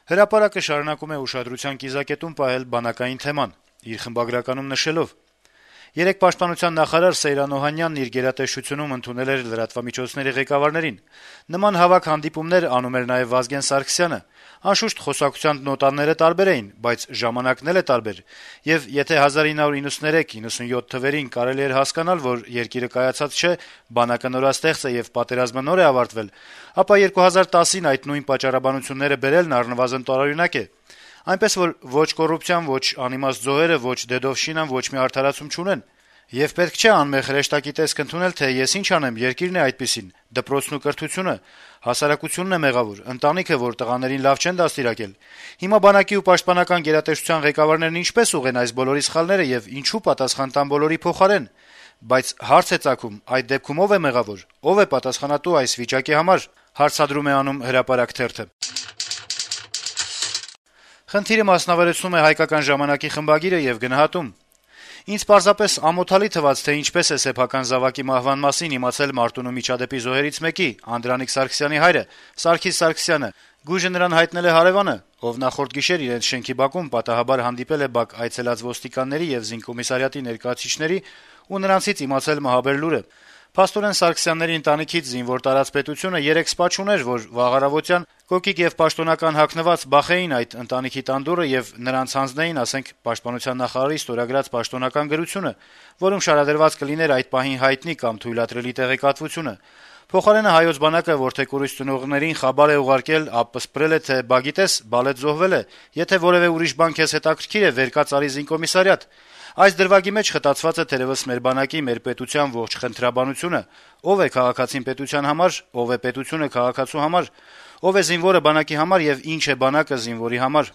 Հրապարակը շարունակում է ուշադրության կիզակետում պահել բանակային թեման, իր խմբագրականում նշելով. - «Երեկ պաշտպանության նախարար Սեյրան Օհանյանն իր գերատեսչությունում ընդունել էր լրատվամիջոցների ղեկավարներին: Նման հավաք հանդիպումներ անում էր նաեւ Վազգեն Սարգսյանը: Անշուշտ, խոսակցության նոտաները տարբեր էին, բայց ժամանակն էլ է տարբեր: Եվ եթե 1993-97 թվերին կարելի էր հասկանալ, որ երկիրը կայացած չէ, բանակը նորաստեղծ է եւ պատերազմը նոր է ավարտվել, ապա 2010-ին այդ նույն պատճառաբանությունները բերելն առնվազն տարօրինակ է: Այնպես որ ոչ կոռուպցիան, ոչ անիմաստ զոհերը, ոչ Դեդովշինան ոչ մի արդարացում չունեն: Եվ պետք չէ անմեղ հրեշտակի տեսք ընդունել, թե ես ինչ անեմ, երկիրն է այդպիսին, դպրոցն ու կրթությունը, հասարակությունն է մեղավոր, ընտանիքը, որ տղաներին լավ չեն դաստիարակել: Հիմա բանակի ու պաշտպանական գերատեսչության ղեկավարներն ինչպե՞ս ուղղեն այս բոլորի սխալները եւ ինչու պատասխան տան բոլորի փոխարեն: Բայց հարց է ծագում, այդ դեպքում ով է մեղավոր, ով է պատասխանատու այս վիճակի համար»: Խնդիրը մասնավորեցնում է «Հայկական ժամանակ»-ի խմբագիրը եւ գնահատում. - «Ինձ պարզապես ամոթալի թվաց, թե ինչպես է սեփական զավակի մահվան մասին իմացել Մարտունու միջադեպի զոհերից մեկի` Անդրանիկ Սարգսյանի հայրը` Սարգիս Սարգսյանը: Գույժը նրան հայտնել է հարեւանը, ով նախորդ գիշեր իրենց շենքի բակում պատահաբար հանդիպել է բակ այցելած ոստիկանների եւ զինկոմիսարիատի ներկայացուցիչների ու նրանցից իմացել մահաբեր լուրը: Փաստորեն Սարգսյանների ընտանիքից զինվոր տարած պետությունը երեք սպա չուներ, որ վաղ առավոտյան կոկիկ եւ պաշտոնական հագնված բախեին այդ ընտանիքի տան դուռը եւ նրանց հանձնեին, ասենք, պաշտպանության նախարարի ստորագրած պաշտոնական գրությունը, որում շարադրված կլիներ այդ պահին հայտնի կամ թույլատրելի տեղեկատվությունը: Փոխարենը հայոց բանակը որդեկորույս ծնողներին խաբար է ուղարկել, ապսպրել է, թե բա գիտես, Բալետ զոհվել է, եթե որեւէ ուրիշ բան քեզ հետաքրքիր է, վեր կաց արի զինկոմիսարիատ: Այս դրվագի մեջ խտացված է թերեւս մեր բանակի, մեր պետության ողջ խնդրաբանությունը: Ով է քաղաքացին պետության համար, ով է պետությունը քաղաքացու համար, ով է զինվորը բանակի համար եւ ինչ է բանակը զինվորի համար»: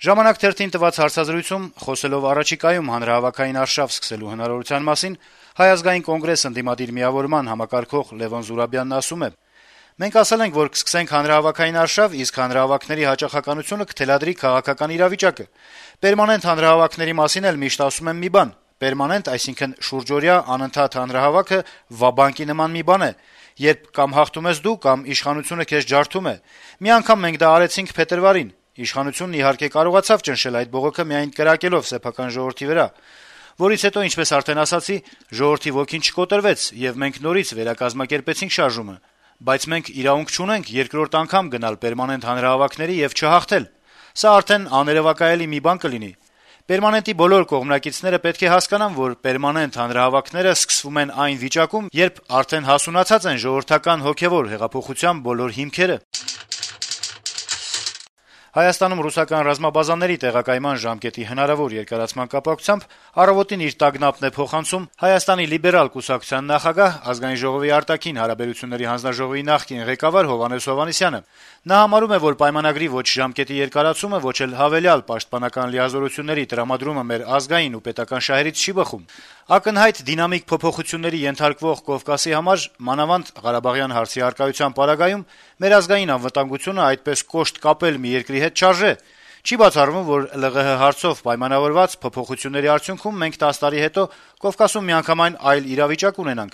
«Ժամանակ» թերթին տված հարցազրույցում, խոսելով առաջիկայում հանրահավաքային արշավ սկսելու հնարավորության մասին, Հայ ազգային կոնգրես ընդդիմադիր միավորման համակարգող Լեւոն Զուրաբյանն ասում է. - «Մենք ասել ենք, որ կսկսենք հանրահավաքային արշավ, իսկ հանրահավաքների հաճախականությունը կթելադրի քաղաքական իրավիճակը: Պերմանենտ հանրահավաքների մասին էլ միշտ ասում եմ մի բան. պերմանենտ, այսինքն շուրջօրյա, անընդհատ հանրահավաքը Ვა-բանկի նման մի բան է, երբ կամ հաղթում ես դու, կամ իշխանությունը քեզ ջարդում է: Մի անգամ մենք դա արեցինք փետրվարին: Իշխանությունն, իհարկե, կարողացավ ճնշել այդ բողոքը միայն կրակելով սեփական ժողովրդի վրա, որից հետո, ինչպես արդեն ասացի, ժողովրդի ոգին չկոտրվեց, եւ մենք նորից վերակազմակերպեցինք շարժումը: Բայց մենք իրավունք չունենք երկրորդ անգամ գնալ պերմանենտ հանրահավաքների եւ չհաղթել: Սա արդեն աներեւակայելի մի բան կլինի: Պերմանենտի բոլոր կողմնակիցները պետք է հասկանան, որ պերմանենտ հանրահավաքները սկսվում են այն վիճակում, երբ արդեն հասունացած են ժողովրդական հոգեւոր հեղափոխության բոլոր հիմքերը»: Հայաստանում ռուսական ռազմաբազաների տեղակայման ժամկետի հնարավոր երկարացման կապակցությամբ «Առավոտ»-ին իր տագնապն է փոխանցում Հայաստանի լիբերալ կուսակցության նախագահ, Ազգային ժողովի արտաքին հարաբերությունների հանձնաժողովի նախկին ղեկավար Հովհաննես Հովհաննիսյանը: Նա համարում է, որ պայմանագրի ոչ ժամկետի երկարացումը, ոչ էլ հավելյալ պաշտպանական լիազորությունների տրամադրումը մեր ազգային ու պետական շահերից չի բխում: Ակնհայտ դինամիկ փոփոխությունների ենթարկվող Կովկասի համար, մանավանդ Ղարաբաղյան հարցի առկայության պարագայում, մեր ազգային անվտանգությունը այդպես կոշտ կապել մի երկրի հետ չարժե: Չի բացառվում, որ ԼՂՀ հարցով պայմանավորված փոփոխությունների արդյունքում մենք 10 տարի հետո Կովկասում միանգամայն այլ իրավիճակ ունենանք: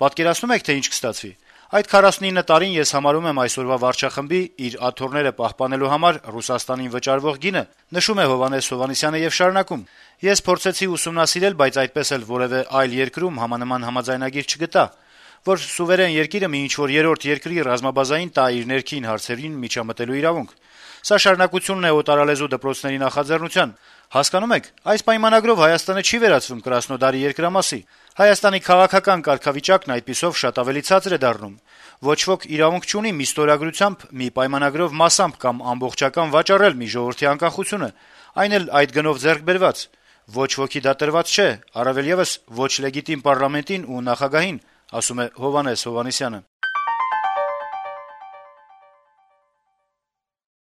Պատկերացնո՞ւմ եք, թե ինչ կստացվի: Այդ 49 տարին ես համարում եմ այսօրվա վարչախմբի իր աթոռները պահպանելու համար Ռուսաստանին վճարվող գինը»: Հովհաննես-Հովհաննիսյանը շարունակում. - «Ես փորձեցի ուսումնասիրել, բայց այդպես էլ որեւէ այլ երկրում համանման համաձայնագիր չգտա, որ սուվերեն երկիրը մի ինչ-որ երրորդ երկրի ռազմաբազային տա իր ներքին հարցերին միջամտելու իրավունք: Սա շարունակությունն է օտարալեզու դպրոցների նախաձեռնության: Հասկանո՞ւմ եք, այս պայմանագրով Հայաստանը չի վերածվում Կրասնոդարի երկրամասի: Հայաստանի քաղաքական կարգավիճակն այդպիսով շատ ավելի ցածր է դառնում: Ոչ ոք իրավունք չունի մի ստորագրությամբ, մի պայմանագրով մասամբ կամ ամբողջական վաճառել մի ժողովրդի անկախությունը, այն էլ այդ գնով ձեռք բերված: Ոչ ոքի դա տրված չէ, առավել եւս ոչ լեգիտիմ պառլամենտին ու նախագահին»: